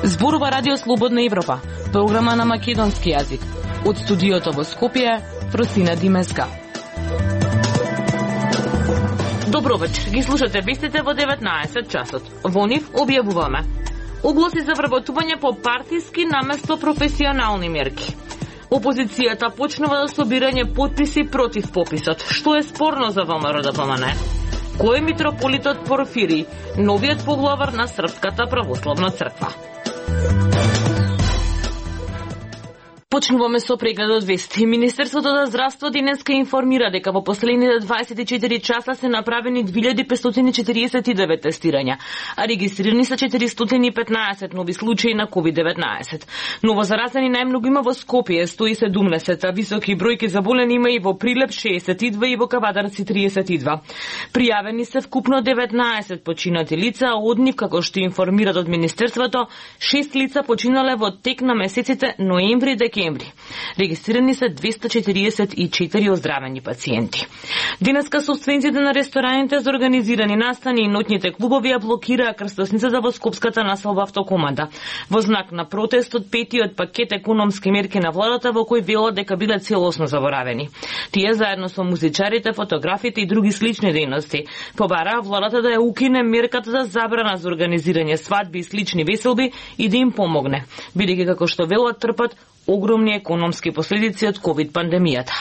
Зборува Радио Слободна Европа, програма на македонски јазик. Од студиото во Скопје, Просина Димеска. Добро вечер, ги слушате вестите во 19 часот. Во нив објавуваме огласи за вработување по партиски наместо професионални мерки. Опозицијата почнува да собирање потписи против пописот. Што е спорно за ВМРО ДПМН? Кој е митрополитот Порфирий, новиот поглавар на Српската православна црква? Почнуваме со прегледот вести. Министерството за здравство денеска информира дека во последните 24 часа се направени 2549 тестирања, а регистрирани се 415 нови случаи на COVID-19. Новозаразени најмногу има во Скопје 117, а високи бројки заболени има и во Прилеп 62 и во Кавадарци 32. Пријавени се вкупно 19 починати лица, а од нив, како што информираат од Министерството, 6 лица починале во тек на месеците ноември и декември. Регистрирани се 244 оздравени пациенти. Денеска собствениците на рестораните за организирани настани и ноќните клубови ја блокираа крстосницата во скопската населба Автокоманда. Во знак на протест од петиот пакет економски мерки на владата во кој велат дека биле целосно заборавени. Тие заедно со музичарите, фотографите и други слични дејности побараа владата да ја укине мерката за забрана за организирање свадби и слични веселби и да им помогне, бидејќи како што велат трпат огромни економски последици од ковид пандемијата.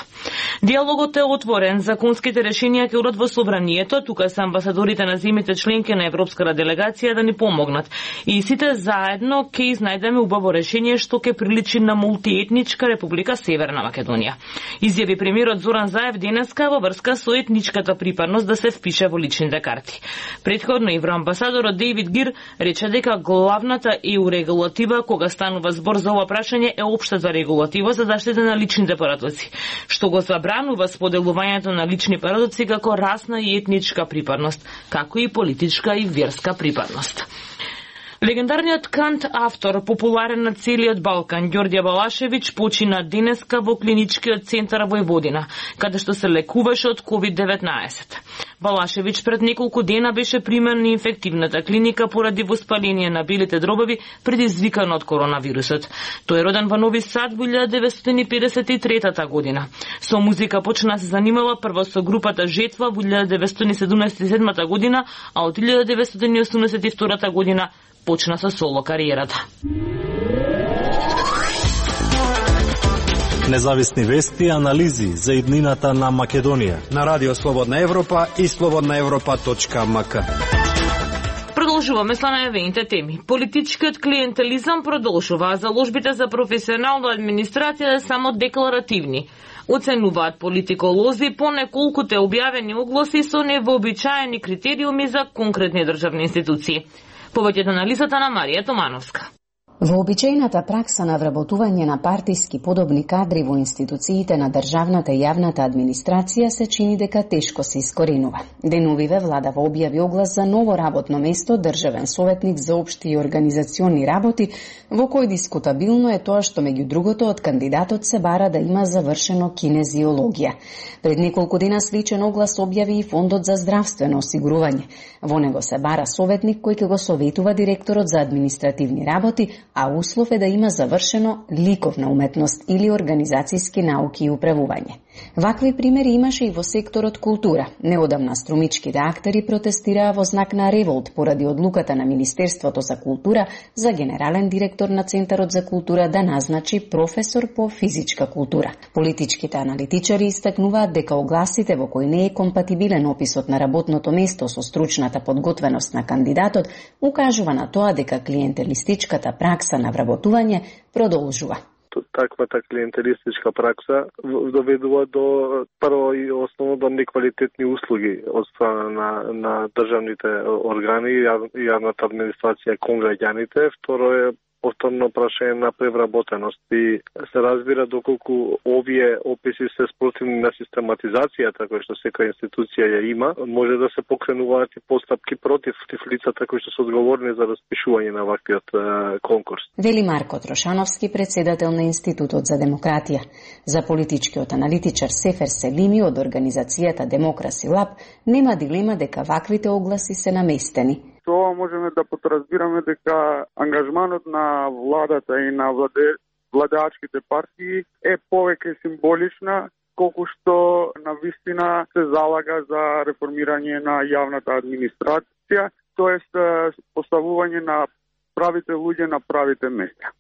Диалогот е отворен, законските решенија ќе одат во собранието, тука се амбасадорите на земјите членки на европската делегација да ни помогнат. И сите заедно ќе изнајдеме убаво решение што ќе приличи на мултиетничка Република Северна Македонија. Изјави премиерот Зоран Заев денеска во врска со етничката припадност да се впише во личните карти. Претходно евроамбасадорот Дејвид Гир рече дека главната EU регулатива кога станува збор за ова прашање е општа за регулатива за заштита на личните парадоци, што го забранува споделувањето на лични парадоци како расна и етничка припадност, како и политичка и верска припадност. Легендарниот кант автор, популарен на целиот Балкан, Ѓорѓе Балашевиќ, почина денеска во клиничкиот центар Војводина, каде што се лекуваше од COVID-19. Балашевиќ пред неколку дена беше примен на инфективната клиника поради воспаление на белите дробови предизвикано од коронавирусот. Тој е роден во Нови Сад во 1953 година. Со музика почна да се занимава прво со групата Жетва во 1977 година, а од 1982 година почна со соло кариерата. Независни вести и анализи за иднината на Македонија на Радио Слободна Европа и slobodnaevropa.mk. Продолжуваме со најавените теми. Политичкиот клиентелизам продолжува, а заложбите за професионална администрација само декларативни. Оценуваат политиколози по неколкуте објавени огласи со невообичаени критериуми за конкретни државни институции. Повеќе од анализата на Марија Томановска. Вообичаената пракса на вработување на партиски подобни кадри во институциите на државната и јавната администрација се чини дека тешко се искоренува. Деновиве владава објави оглас за ново работно место државен советник за општи и организациони работи, во кој дискутабилно е тоа што меѓу другото од кандидатот се бара да има завршено кинезиологија. Пред неколку дена сличен оглас објави и Фондот за здравствено осигурување. Во него се бара советник кој ќе го советува директорот за административни работи, а услов е да има завршено ликовна уметност или организацијски науки и управување. Вакви примери имаше и во секторот култура. Неодамна струмичките актери протестираа во знак на револт поради одлуката на Министерството за култура за генерален директор на Центарот за култура да назначи професор по физичка култура. Политичките аналитичари истакнуваат дека огласите во кои не е компатибилен описот на работното место со стручната подготвеност на кандидатот укажува на тоа дека клиентелистичката пракса на вработување продолжува. Таквата клиентелистичка пракса доведува до прво и основно до неквалитетни услуги од страна на државните органи и јавната администрација кон граѓаните. Второ е повторно прашање на превработеност и се разбира доколку овие описи се спротивни на систематизацијата која што секоја институција ја има, може да се покренуваат и постапки против лицата кои што се одговорни за распишување на ваквиот конкурс. Вели Марко Трошановски, председател на Институтот за демократија. За политичкиот аналитичар Сефер Селими од организацијата Демокраси Лаб нема дилема дека ваквите огласи се наместени. Тоа можеме да подразбираме дека ангажманот на владата и на владеачките партии е повеќе символична, колку што навистина се залага за реформирање на јавната администрација, тоест поставување на правите луѓе на правите места.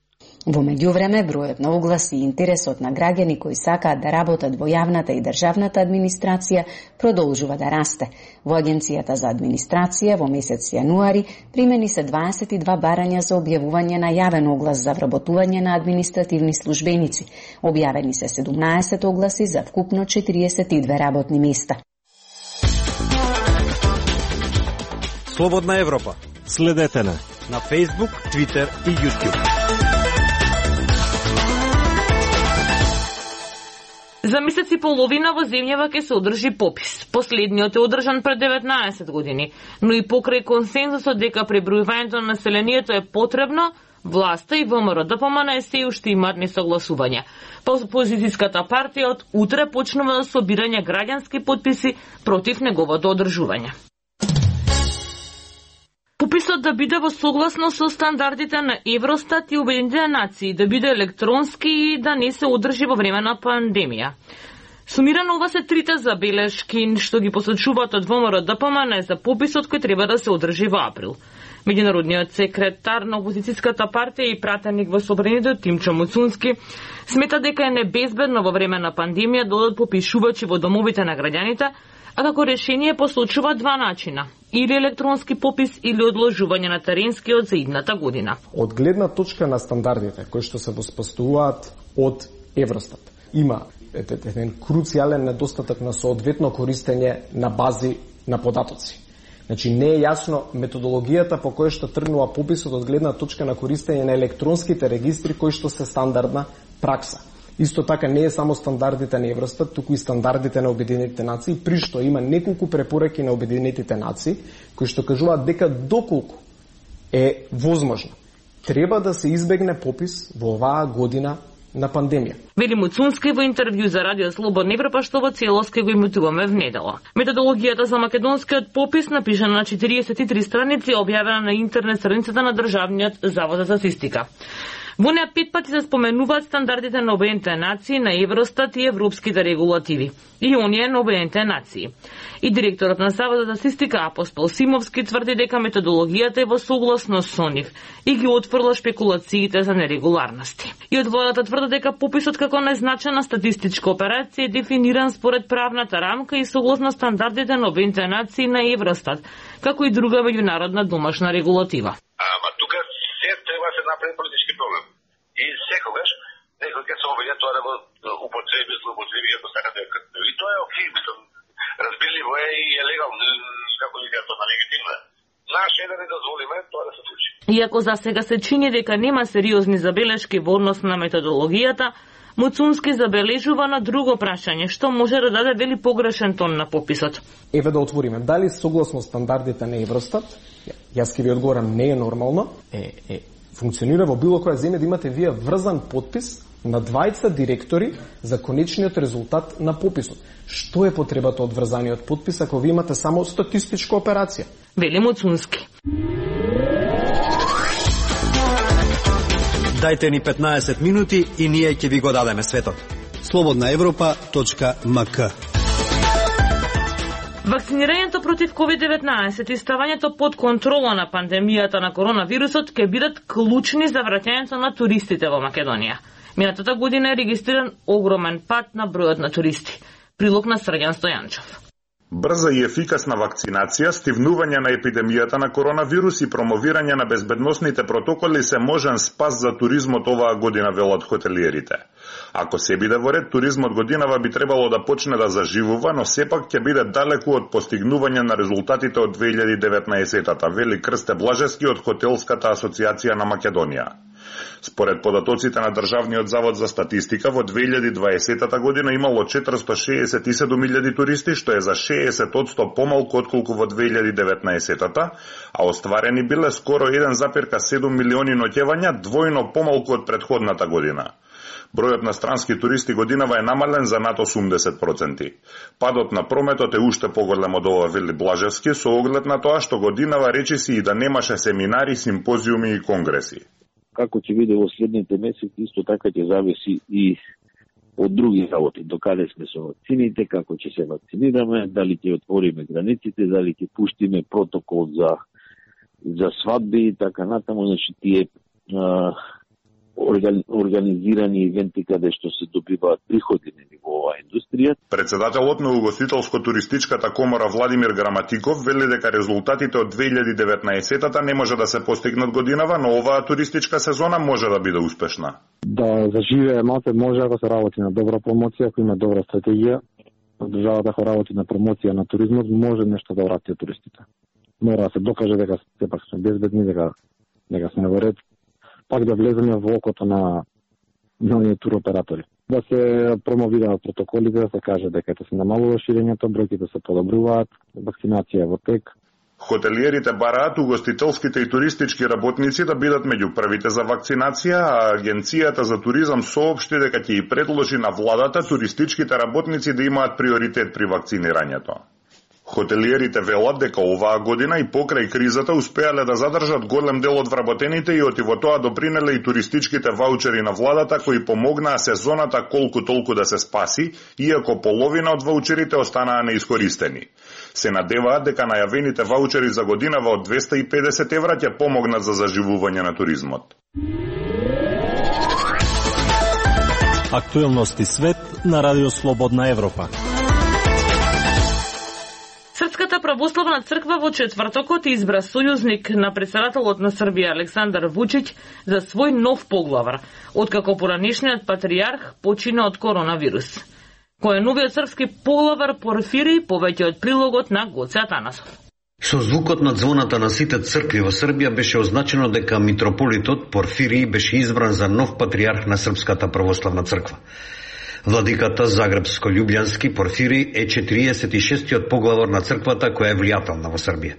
Во меѓувреме, бројот на огласи и интересот на граѓани кои сакаат да работат во јавната и државната администрација продолжува да расте. Во Агенцијата за администрација во месец јануари примени се 22 барања за објавување на јавен оглас за вработување на административни службеници. Објавени се 17 огласи за вкупно 42 работни места. Слободна Европа. Следете на Facebook, Twitter и YouTube. За месец и половина во земјава ќе се одржи попис. Последниот е одржан пред 19 години, но и покрај консензусот дека пребројувањето на населението е потребно, власта и ВМРО-ДПМН се уште имаат несогласувања. Опозицијската партија од утре почнува да собирање граѓански потписи против неговото одржување. Пописот да биде во согласно со стандардите на Евростат и Обединетите нации, да биде електронски и да не се одржи во време на пандемија. Сумирано ова се трите забелешки што ги посочуваат од ВМРО-ДПМН за пописот кој треба да се одржи во април. Меѓународниот секретар на опозицијската партија и пратеник во Собранието Тимчо Муцунски смета дека е небезбедно во време на пандемија да одат попишувачи во домовите на граѓаните, а како решение посочува два начина: или електронски попис или одложување на теренскиот за идната година. Од гледна точка на стандардите кои што се воспоставуваат од Евростат, има еден круцијален недостаток на соодветно користење на бази на податоци. Значи не е јасно методологијата по која што тргнува пописот од гледна точка на користење на електронските регистри кои што се стандардна пракса. Исто така не е само стандардите на Евростат, туку и стандардите на Обединетите нации, при што има неколку препораки на Обединетите нации кои што кажуваат дека доколку е возможно треба да се избегне попис во оваа година на пандемија. Вели Муцунски во интервју за Радио Слободна Европа, што во целост ќе го имитуваме внедела. Методологијата за македонскиот попис, напишана на 43 страници, објавена на интернет страницата на Државниот завод за статистика. Во неа 5 пати се споменуваат стандардите на Обединетите нации, на Евростат и европските регулативи. И оние на Обединетите нации. И директорот на Заводот за статистика Апостол Симовски тврди дека методологијата е во согласност со нив и ги отфрла шпекулациите за нерегуларности. И од владата тврди дека пописот како незначена статистичка операција е дефиниран според правната рамка и согласно стандардите на Обединетите нации, на Евростат, како и друга меѓународна домашна регулатива. Ама тука се треба се направи политички проблем. И секогаш некој ќе се обиде тоа да го употреби, злоупотреби, ако сакате. И тоа е окей, мислам, разбирливо е и е легално, како ли тоа на легитимно. Наше е да не дозволиме тоа да се случи. Иако за сега се чини дека нема сериозни забелешки во однос на методологијата, Муцунски забележува на друго прашање, што може да даде вели погрешен тон на пописот. Еве да отвориме, дали согласно стандардите на Евростат, јас ќе ви одговорам, не е нормално, функционира во било која земја да имате вие врзан подпис на двајца директори за конечниот резултат на пописот. Што е потребата од врзаниот подпис ако ви имате само статистичка операција? Вели Муцунски. Дајте ни 15 минути и ние ќе ви го дадеме светот. slobodnaevropa.mk. Вакцинирањето против COVID-19 и ставањето под контрола на пандемијата на коронавирусот ќе бидат клучни за враќањето на туристите во Македонија. Минатата година е регистриран огромен пат на бројот на туристи. Прилог на Срѓан Стојанчов. Брза и ефикасна вакцинација, стивнување на епидемијата на коронавирус и промовирање на безбедносните протоколи се можен спас за туризмот оваа година, велат хотелиерите. Ако се биде во ред, туризмот годинава би требало да почне да заживува, но сепак ќе биде далеку од постигнување на резултатите од 2019-та, вели Крсте Блажевски од Хотелската асоциација на Македонија. Според податоците на Државниот завод за статистика, во 2020 година имало 467.000 туристи, што е за 60% помалку отколку во 2019, а остварени биле скоро 1,7 милиони ноќевања, двојно помалку од претходната година. Бројот на странски туристи годинава е намален за над 80%. Падот на прометот е уште поголем од ова, вели Блажевски, со оглед на тоа што годинава речиси и да немаше семинари, симпозиуми и конгреси. Како ќе биде во следните месеци, исто така ќе зависи и од други работи. Докаде сме со вакцините, како ќе се вакцинираме, дали ќе отвориме границите, дали ќе пуштиме протокол за свадби и така натаму. Значи тие организирани ивенти каде што се добиваат приходи во оваа индустрија. Председателот на Угостителско-туристичката комора Владимир Граматиков вели дека резултатите од 2019-та не може да се постигнат годинава, но оваа туристичка сезона може да биде успешна. Да заживее малце може ако се работи на добра промоција, ако има добра стратегија, државата ако работи на промоција на туризмот, може нешто да врати туристите. Мора да се докаже дека сепак сме безбедни, дека сме во ред, пак да влеземе во окото на нови туроператори. Да се промовираат протоколите, да се каже дека се намалува ширењето, бројките се подобруваат, вакцинација е во тек. Хотелиерите бараат угостителските и туристички работници да бидат меѓу првите за вакцинација, а Агенцијата за туризам соопшти дека ќе и предложи на владата туристичките работници да имаат приоритет при вакцинирањето. Хотелиерите велат дека оваа година и покрај кризата успеале да задржат голем дел од вработените и во тоа допринеле и туристичките ваучери на владата кои помогнаа сезоната колку толку да се спаси, иако половина од ваучерите останаа неискористени. Се надеваат дека најавените ваучери за годинава од 250 евра ќе помогнат за заживување на туризмот. Актуелности свет на Радио Слободна Европа. Српската православна црква во четвртокот избра сојузник на председателот на Србија Александар Вучиќ за свој нов поглавар, откако поранешниот патријарх почина од коронавирус. Кој е новиот српски поглавар Порфири, повеќе од прилогот на Гоце Атанасов. Со звукот на звоната на сите цркви во Србија беше означено дека митрополитот Порфири беше избран за нов патријарх на Српската православна црква. Владиката Загребско-Љубљански Порфири е 46-тиот поглавар на црквата која е влијателна во Србија.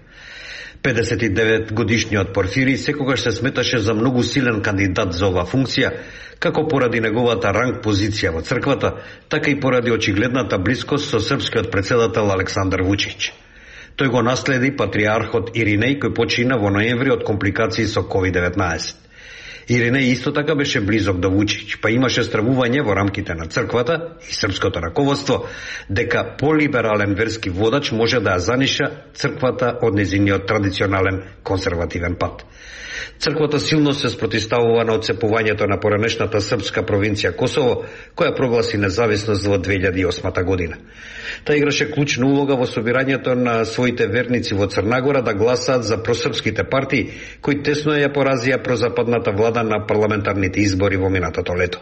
59 годишниот Порфири секогаш се сметаше за многу силен кандидат за оваа функција, како поради неговата ранг позиција во црквата, така и поради очигледната блискост со српскиот председател Александар Вучиќ. Тој го наследи патриархот Иринеј кој почина во ноември од компликации со COVID-19. Иринеј исто така беше близок до Вучиќ, па имаше стравување во рамките на црквата и српското раководство дека полиберален верски водач може да ја заниша црквата од нејзиниот традиционален конзервативен пат. Црквата силно се спротивставува на отцепувањето на поранешната српска провинција Косово, која прогласи независност во 2008 година. Та играше клучна улога во собирањето на своите верници во Црнагора да гласаат за просрпските партии, кои тесно ја поразија прозападната влада на парламентарните избори во минатото лето.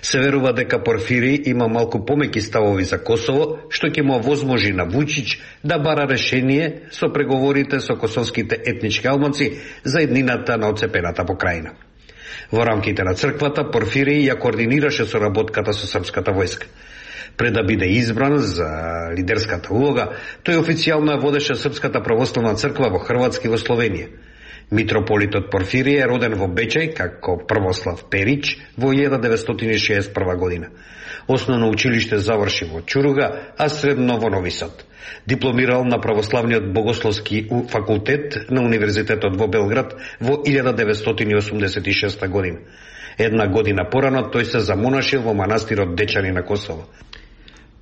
Се верува дека Порфири има малку помеки ставови за Косово, што ќе му овозможи на Вучиќ да бара решение со преговорите со косовските етнички албанци за еднината на отцепената покрајина. Во рамките на црквата Порфири ја координираше соработката со српската војска. Пред да биде избран за лидерската улога, тој официјално ја водеше Српската православна црква во Хрватска и во Словенија. Митрополитот Порфири е роден во Бечај како Првослав Перич во 1961 година. Основно училиште заврши во Чуруга, а средно во Нови Сад. Дипломирал на Православниот богословски факултет на Универзитетот во Белград во 1986 година. Една година порано тој се замонашил во манастирот Дечани на Косово.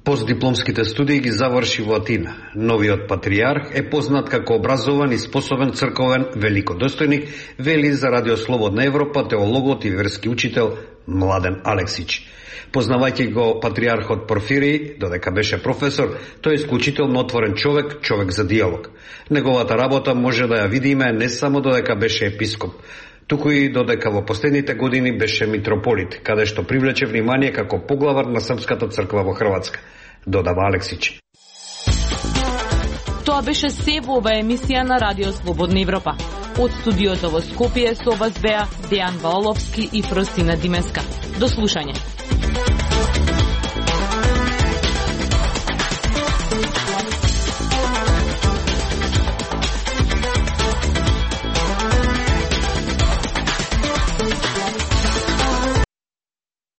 Постдипломските студии ги заврши во Атина. Новиот патријарх е познат како образован и способен црковен великодостојник, вели за Радио Слободна Европа теологот и верски учител Младен Алексич. Познавајќи го патријархот Порфири, додека беше професор, тој е исклучително отворен човек за диалог. Неговата работа може да ја видиме не само додека беше епископ, туку и додека во последните години беше митрополит, каде што привлече внимание како поглавар на Српската црква во Хрватска, додава Алексич. Тоа беше се во оваа емисија на Радио Слободна Европа. Од студиото во Скопје со вас беа Дејан Ваоловски и Фростина Димеска. До слушање.